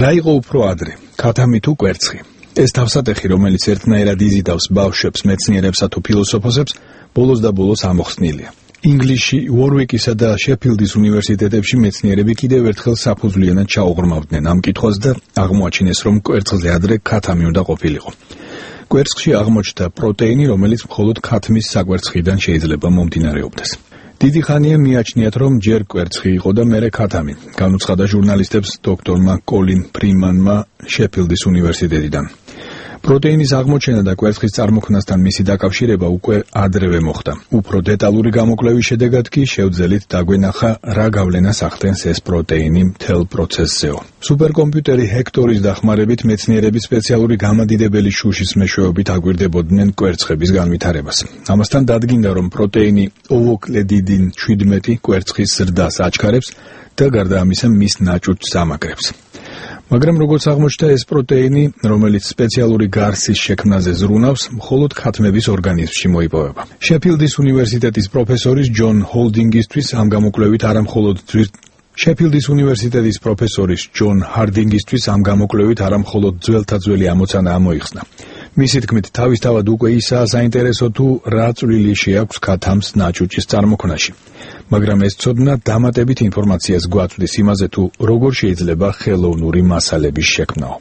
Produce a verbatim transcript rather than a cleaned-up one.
რა იყო უფრო ადრე, ქათამი თუ კვერცხი? ეს თავსატეხი, რომელიც ერთნაირად იზიდავს ბავშვებს, მეცნიერებსა თუ ფილოსოფოსებს, ბოლოს და ბოლოს ამოხსნილია. ინგლისში, უორვიკისა და შეფილდის უნივერსიტეტებში მეცნიერები კიდევ ერთხელ საფუძვლიანად ჩაუღრმავდნენ ამ კითხვას და აღმოაჩინეს, რომ კვერცხზე ადრე ქათამი უნდა ყოფილიყო. კვერცხში აღმოჩნდა პროტეინი, რომელიც მხოლოდ ქათმის საკვერცხიდან შეიძლება მომდინარეობდეს. დიდი ხანია მიაჩნიათ, რომ ჯერ კვერცხი იყო და მერე ქათამი, განუცხადა ჟურნალისტებს დოქტორმა კოლინ ფრიმანმა შეფილდის უნივერსიტეტიდან. პროტეინის აღმოჩენა და კვერცხის წარმოქმნასთან მისი დაკავშირება უკვე ადრევე მოხდა. უფრო დეტალური გამოკვლევის შედეგად კი შევძელით დაგვენახა, რა გავლენას ახდენს ეს პროტეინი მთელ პროცესზეო. სუპერკომპიუტერი ჰექტორის დახმარებით მეცნიერები სპეციალური გამადიდებელი შუშის მეშვეობით აგვირდებოდნენ კვერცხების განვითარებას. ამასთან დადგინდა, რომ პროტეინი ოვოკლედიდინ შვიდმეტი კვერცხის ზრდას აჩქარებს და გარდა ამისა მის ნაჭუჭს ამაგრებს. მაგრამ როგორც აღმოჩნდა, ეს პროტეინი, რომელიც სპეციალური გარსის შექმნაზე ზრუნავს, მხოლოდ ქათმების ორგანიზმში მოიპოვება. შეფილდის უნივერსიტეტის პროფესორის ჯონ ჰოლდინგისთვის ამ გამოკვლევით არა მხოლოდ შეფილდის უნივერსიტეტის პროფესორის ჯონ ჰარდინგისთვის ამ გამოკვლევით არა მხოლოდ ძველთა ძველი ამოცანა ამოიხსნა. მისი თქმით, თავისთავად უკვე ისაა საინტერესო თუ რა წვლილი შეაქვს ქათამს ნაჭუჭის წარმოქმნაში. მაგრამ ეს ცოდნა დამატებით ინფორმაციას გვაწვდის იმაზე, თუ როგორ შეიძლება ხელოვნური მასალების შექმნაო.